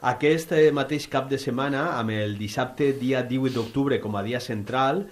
Aquest mateix cap de setmana, amb el dissabte dia 18 d'octubre com a dia central,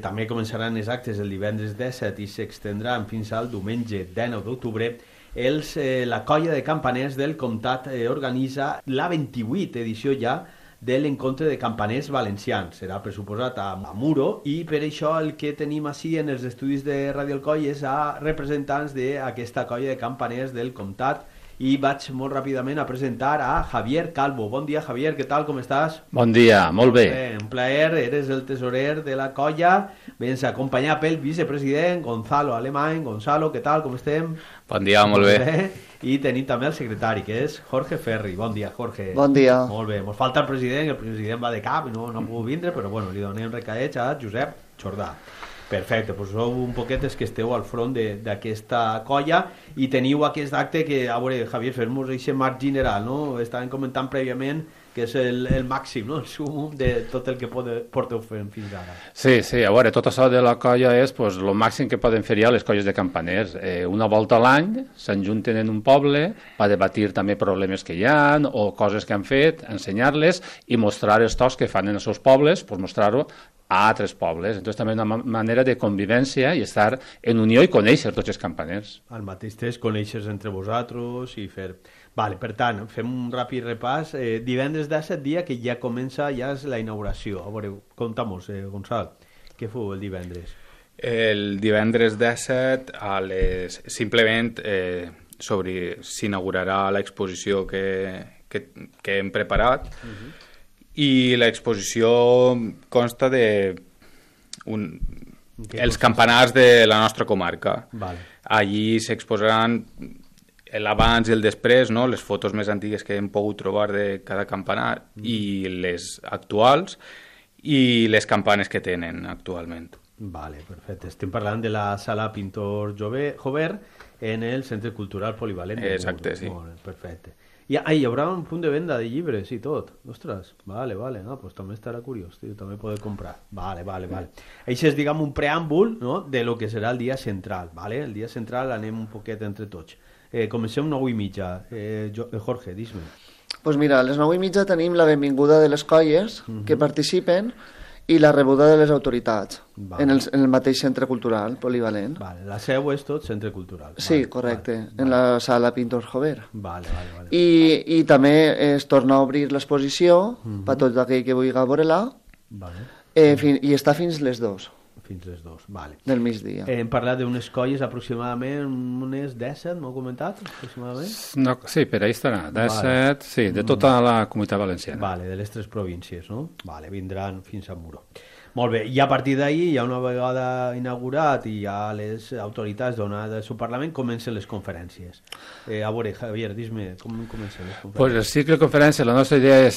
també començaran els actes el divendres 17 i s'extendran fins al diumenge 19 d'octubre. La colla de campaners del Comtat organitza la 28 edició ja de l'encontre de campaners valencians. Serà pressuposat a Muro, i per això el que tenim així en els estudis de Radio Alcoi és a representants d'aquesta colla de campaners del Comtat, i vaig molt ràpidament a presentar a Javier Calvo. Bon dia, Javier, què tal, com estàs? Bon dia, molt bé. Un plaer, eres el tesorer de la colla, vens acompanyat pel vicepresident Gonzalo Alemany. Gonzalo, què tal, com estem? Bon dia, molt bé. I tenim també el secretari, que és Jorge Ferri. Bon dia, Jorge. Bon dia. Molt bé, ens falta el president va de cap i no ha pogut vindre, però bueno, li donem recaets a Josep Jordà. Perfecte, doncs sou un poquetes que esteu al front d'aquesta colla i teniu aquest acte que, a veure, Javier, fem-nos aquest marc general, no? Estàvem comentant prèviament que és el màxim, no? El sumum de tot el que porteu fent fins ara. Sí, a veure, tot això de la colla és el màxim que poden fer ja les colles de campaners. Una volta a l'any s'enjunten en un poble per debatir també problemes que hi ha o coses que han fet, ensenyar-les i mostrar els tocs que fan en els seus pobles, mostrar-ho a altres pobles. Entonces també una manera de convivència i estar en unió i conèixer tots els campaners. Al mateix temps conèixer entre vosaltres i fer... Vale, per tant, fem un ràpid repàs. Divendres 17 dia que ja comença ja és la inauguració. A veure, conta'm-nos, Gonçal, què feu el divendres? El divendres 17 simplement s'inaugurarà l'exposició que hem preparat. I l'exposició consta de els campanars de la nostra comarca. Vale. Allí s'exposaran l'abans i el després, no? Les fotos més antigues que hem pogut trobar de cada campanar i les actuals i les campanes que tenen actualment. Vale, perfecte. Estem parlant de la sala Pintor Jover en el Centre Cultural Polivalent. Exacte, sí. Molt bé, perfecte. Hi haurà un punt de venda de llibres i tot. Ostres, vale. No, pues també estarà curiós, tio, també poder comprar. Vale. Això és, diguem, un preàmbul, no?, de lo que serà el dia central, vale? El dia central anem un poquet entre tots. Comencem 9:30. Jorge, dis-me. Pues mira, a les 9:30 tenim la benvinguda de les colles que participen i la rebuda de les autoritats en el mateix centre cultural polivalent. Vale, la seu és tot centre cultural. Sí, correcte, en la sala Pintor Jover. Vale. I també es torna a obrir l'exposició per tot aquell que vulgui veure-la i està fins les 2. Fins les 2, vale. Del migdia. Hem parlat d'unes colles aproximadament, unes 17, m'ho heu comentat, aproximadament? No, sí, per ahí estarà, 17, sí, de tota la Comunitat Valenciana. Vale, de les 3 províncies, no? Vale, vindran fins a Muro. Molt bé, i a partir d'ahir, ja una vegada inaugurat i ja les autoritats donat el seu Parlament, comencen les conferències. A veure, Javier, dis-me, com comencen les conferències? Pues el cicle de conferència, la nostra idea és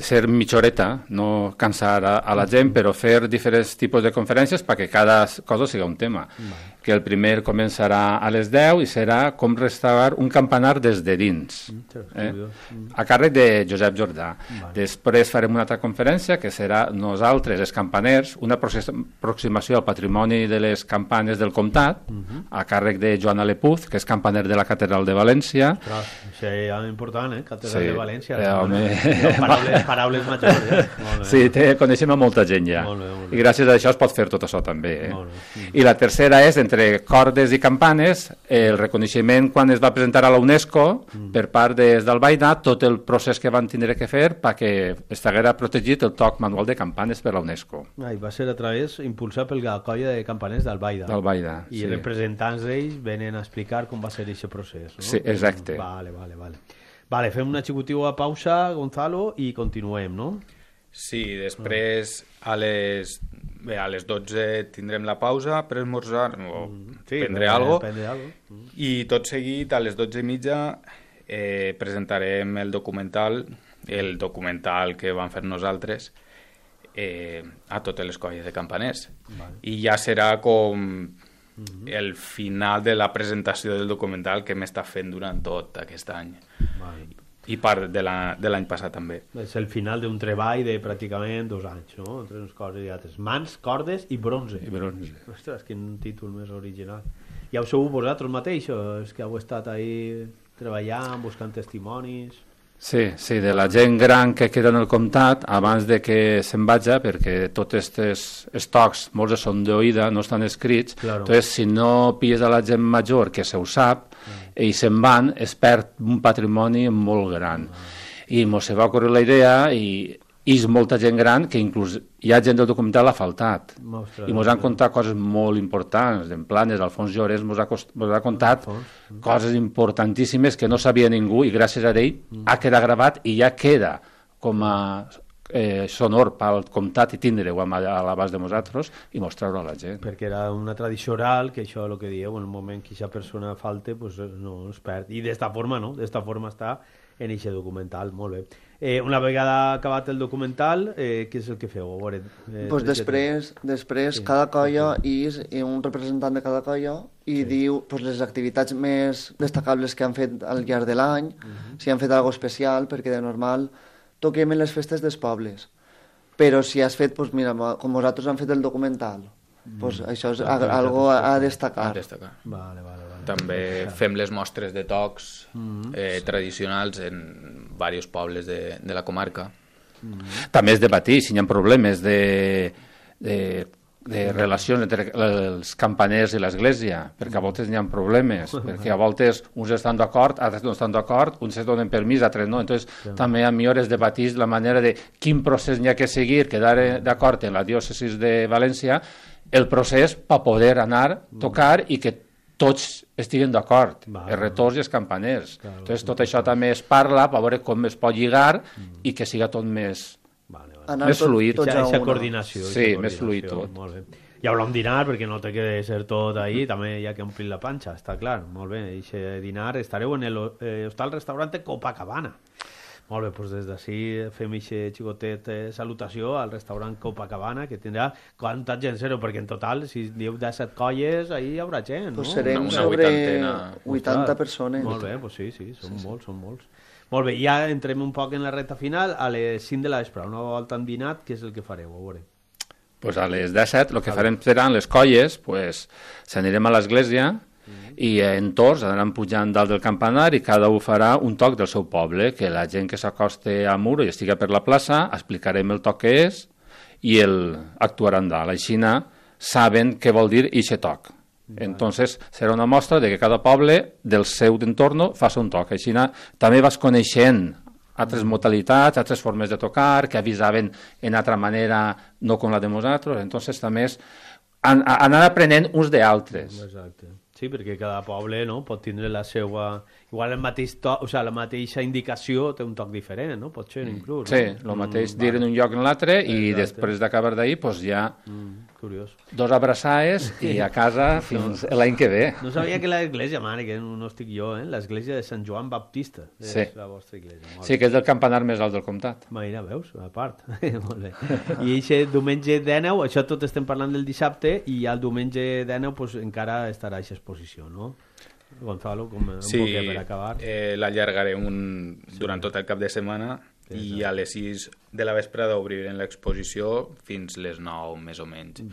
ser mitja horeta, no cansar a la gent, però fer diferents tipus de conferències perquè cada cosa sigui un tema. Que el primer començarà a les 10 i serà com restaurar un campanar des de dins, a càrrec de Josep Jordà. Després farem una altra conferència que serà nosaltres, els campaners, una aproximació al patrimoni de les campanes del comtat, a càrrec de Joan Alepuz, que és campaner de la Catedral de València. Això és important, Catedral de València. Paraules majors. Sí, coneixem a molta gent ja. I gràcies a això es pot fer tot això també. I la tercera és, entre cordes i campanes, el reconeixement quan es va presentar a la UNESCO per part d'Albaida, tot el procés que van tindre que fer perquè estiguera protegit el toc manual de campanes per la UNESCO. Va ser a través, impulsat per la colla de campaners d'Albaida. I els representants d'ells venen a explicar com va ser aquest procés. Sí, exacte. Vale, fem una xicotiva pausa, Gonzalo, i continuem, no? Sí, després a les 12 tindrem la pausa per esmorzar o prendre alguna cosa i tot seguit a les 12:30 presentarem el documental que vam fer nosaltres a totes les colles de campaners. I ja serà com el final de la presentació del documental que hem estat fent durant tot aquest any. I part de l'any passat també. És el final d'un treball de pràcticament 2 anys, no? Entre unes coses i altres. Mans, cordes i bronze. Ostres, quin títol més original. Ja ho sou vosaltres mateixos, que heu estat ahí treballant, buscant testimonis... Sí, de la gent gran que queda en el comtat abans de que se'n vagi, perquè tots aquests estocs, molts són d'oïda, no estan escrits, entonces si no pilles a la gent major que se ho sap, i se'n van, es perd un patrimoni molt gran. I mos se va ocórrer la idea i és molta gent gran que inclús hi ha gent del documental ha faltat i mos han contat coses molt importants en Planes, Alfons Llorens mos ha contat coses importantíssimes que no sabia ningú i gràcies a ell ha quedat gravat i ja queda com a sonor pel comtat i tindre-ho a l'abast de nosaltres i mostrar-ho a la gent. Perquè era una tradició oral que això és el que dieu, en el moment que aquesta persona falte pues, no es perd i d'esta forma, no? D'esta forma està en aquest documental, molt bé. Una vegada acabat el documental, què és el que feu? Pues després cada colla és un representant de cada colla i diu pues, les activitats més destacables que han fet al llarg de l'any, si han fet alguna especial, perquè de normal toquem en les festes dels pobles. Però si has fet, pues, mira, com vosaltres han fet el documental, pues, això és algo a destacar. Vale. També fem les mostres de tocs tradicionals en diversos pobles de la comarca. També es debatir si hi ha problemes de relacions entre els campaners i l'església, perquè a voltes hi ha problemes, perquè a voltes uns estan d'acord, altres no estan d'acord, uns es donen permís, altres no. Entonces, també a mi es debatís la manera de quin procés hi ha que seguir, quedar d'acord en la diòcesis de València, el procés per poder anar, tocar i que tots estiguen d'acord, els retors i els campaners. Entonces, tot això també es parla per veure com es pot lligar i que siga tot més fluid. Aquesta coordinació. Sí, més fluid tot. Molt bé. Ja haurem dinar, perquè no té que ser tot ahí, també hi ha que omplir la panxa, està clar. Molt bé, i dinar estareu en l'hostal-restaurant Copacabana. Molt bé, doncs des d'ací fem aquest xicotet salutació al restaurant Copacabana, que tindrà quanta gent sereu, perquè en total, si dieu 17 colles, ahí hi haurà gent, no? Pues serem sobre 80 persones. Molt bé, doncs sí, són molts. Molt bé, ja entrem un poc en la recta final, a les 5 de la vespre, una volta han dinat, què és el que fareu? A veure. Pues a les 17 el que farem seran les colles, pues s'anirem a l'església, i en torns anaran pujant dalt del campanar i cada un farà un toc del seu poble, que la gent que s'acoste a muro i estiga per la plaça, explicarem el toc que és i actuaran dalt. Així saben què vol dir eixe toc. Entonces serà una mostra de que cada poble del seu entorn faci un toc. Així també vas coneixent altres modalitats, altres formes de tocar, que avisaven en altra manera, no com la de nosaltres. Entonces també és anar aprenent uns d'altres. Exacte. Sí, perquè cada poble pot tindre la seva... Igual el mateix toc, o sigui, la mateixa indicació té un toc diferent, no? Pot ser inclús. Sí, el mateix dir en un lloc en l'altre i després d'acabar d'ahir ja curiós. 2 abraçades i a casa fins l'any que ve. No sabia que l'església, mare, que no estic jo, l'església de Sant Joan Baptista és la vostra església. Sí, que és el campanar més alt del comtat. Mira, veus? A part. Molt bé. I aquest diumenge 19, això tot estem parlant del dissabte, i el diumenge 19 encara estarà aquesta exposició, no? Gonzalo, com un poc per acabar. L'allargarem durant tot el cap de setmana i a les 6 de la vesprada obrirem l'exposició fins les 9 més o menys.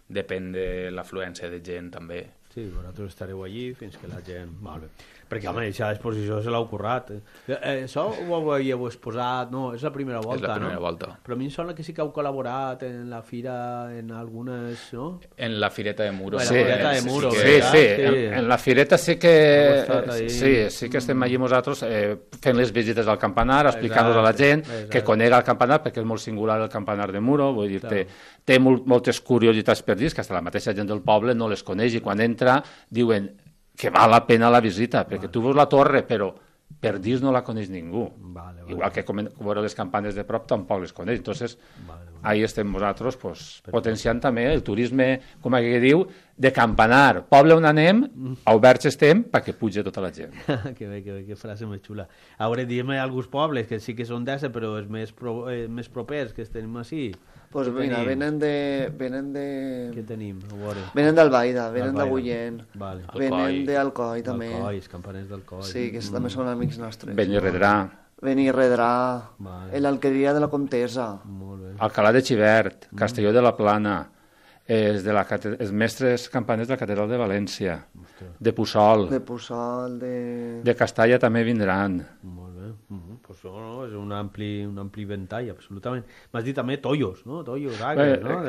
Depèn de l'afluència de gent també. Sí, vosaltres estareu allí fins que la gent... Molt bé. Perquè, home, aquesta exposició se l'heu currat. Això ho havíeu exposat... No, és la primera volta, no? És la primera volta. Però a mi em sembla que sí que heu col·laborat en la fira, en algunes, no? En la Fireta de Muro. Sí, en la Fireta sí que... Sí que estem allí nosaltres fent les visites al campanar, explicant-nos a la gent que conega el campanar, perquè és molt singular el campanar de Muro, vull dir, té moltes curiositats per dir, que fins la mateixa gent del poble no les coneix, i quan entra diuen que val la pena la visita, perquè tu veus la torre, però per dins no la coneix ningú. Igual que veure les campanes de prop tampoc les coneix. Entonces, ahí estem nosaltres potenciant també el turisme, com aquí diu, de campanar. Poble on anem, oberts estem perquè puja tota la gent. Que bé, que frase més xula. A veure, diguem alguns pobles que sí que són d'essa, però és més propers que tenim així. Pues mira, venen de... Què tenim? Venen d'Albaida, venen d'Agullent, venen d'Alcoi també. Alcoi, els campaners d'Alcoi. Sí, que també són amics nostres. Benirredrà, l'Alqueria de la Comtesa, Alcalá de Xivert, Castelló de la Plana, els mestres campaners de la Catedral de València, de Puçol, de Castalla també vindran. Molt bé, pues, és un ampli ventall, absolutament. M'has dit també tollos, no? Tollos, agres, no?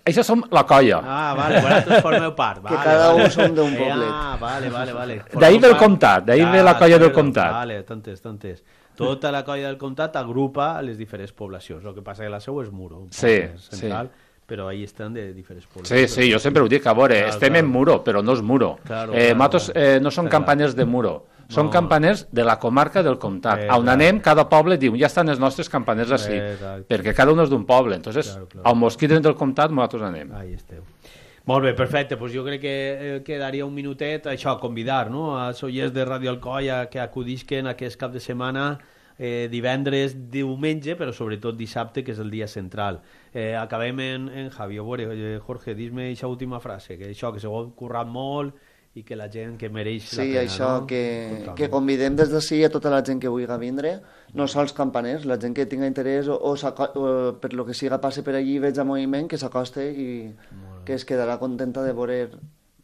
Això som la colla. Vale, vosaltres formeu part. Que cada un som d'un poblet. Vale. D'ahir ve el comtat, d'ahir ve la colla del comtat. Vale, t'entens. Tota la colla del comtat agrupa les diferents poblacions. El que passa que la seu és Muro, central, però ahí estan de diferents poblacions. Sí, jo sempre ho dic, a veure, estem en Muro, però no és Muro. Nosaltres no som campaners de Muro, som campaners de la comarca del comtat. On anem, cada poble diu, ja estan els nostres campaners així, perquè cada un és d'un poble. Entonces, al mosquit del comtat, nosaltres anem. Ahí esteu. Molt bé, perfecte. Pues jo crec que quedaria un minutet, això, convidar, no?, als oients de Radio Alcoia que acudisquen aquest cap de setmana, divendres, diumenge, però sobretot dissabte, que és el dia central. Acabem en Javi. Jorge, dis-me aquesta última frase, que això, que s'ho ha currat molt i que la gent que mereix la pena. Sí, això, no? que convidem des d'ací a tota la gent que vulgui vindre, no sols campaners, la gent que tinga interès o per lo que siga passe per allí i veig a moviment, que s'acoste i que es quedarà contenta de veure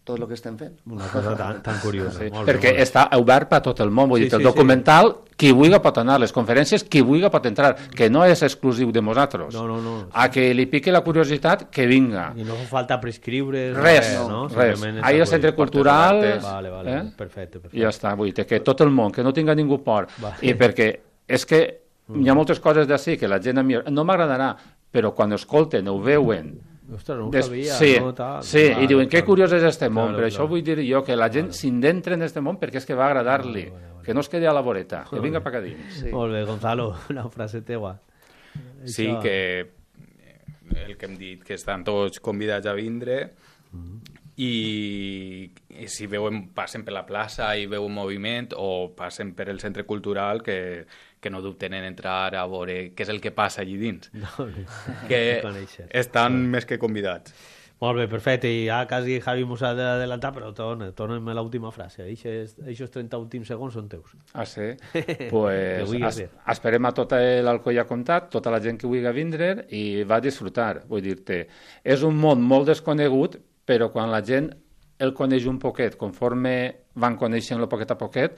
tot el que estem fent. Una cosa tan curiosa. Sí, perquè està obert per tot el món, vull dir, el documental, qui vulgui pot anar, les conferències, qui vulgui pot entrar, que no és exclusiu de nosaltres. No. A que li pique la curiositat, que vinga. I no fa falta prescriure res. Ahí al centre cultural... Vale, perfecte. I ja està, vull dir, que tot el món, que no tinga ningú por. I perquè és que hi ha moltes coses d'ací que la gent a mi no m'agradarà, però quan escolten o veuen... Ostres, no ho sabia. Sí, i diuen, que curiós és este món, per això vull dir jo que la gent s'indentre en este món perquè és que va agradar-li, que no es quedi a la voreta, que vinga per acá dins. Molt bé, Gonzalo, una frase teua. Sí, que el que hem dit, que estan tots convidats a vindre i si passen per la plaça i veuen moviment o passen per el centre cultural, que no dubten en entrar a veure què és el que passa allí dins. Que estan més que convidats. Molt bé, perfecte. I ja quasi Javi mos ha d'adelantar, però torna'm l'última frase. Aquests 30 últims segons són teus. Ah, sí? Pues esperem a tota l'Alcoia Comtat, tota la gent que vulgui vindre i va disfrutar. Vull dir-te, és un món molt desconegut, però quan la gent el coneix un poquet, conforme van coneixent-lo poquet a poquet,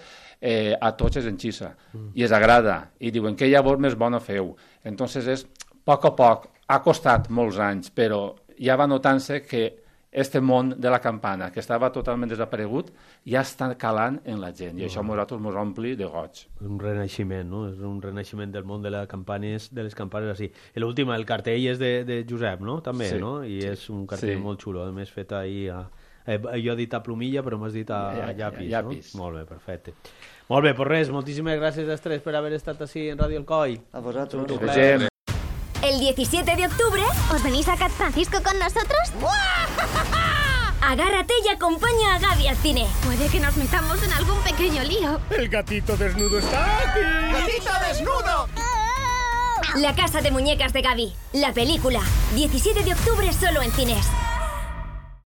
a tots es enxissa i es agrada i diuen que llavors més bona feu. Entonces és poc a poc, ha costat molts anys, però ja va notant-se que este món de la campana, que estava totalment desaparegut, ja està calant en la gent i això a nosaltres ens ompli de goig. Un renaixement, no? És un renaixement del món de les campanes així. I l'últim, el cartell és de Josep, no? També, no? I és un cartell molt xulo, a més fet ahir jo he dit a plomilla, però m'has dit a llapis, no? Molt bé, perfecte. Molt bé, pues res, moltíssimes gràcies a tres per haver estat així en Radio Alcoi. A vosaltres. El 17 de octubre, ¿os venís a Cat Francisco con nosotros? Agárrate y acompaña a Gaby al cine. Puede que nos metamos en algún pequeño lío. ¡El gatito desnudo está aquí! ¡Gatito desnudo! La casa de muñecas de Gaby, la película. 17 de octubre solo en cines.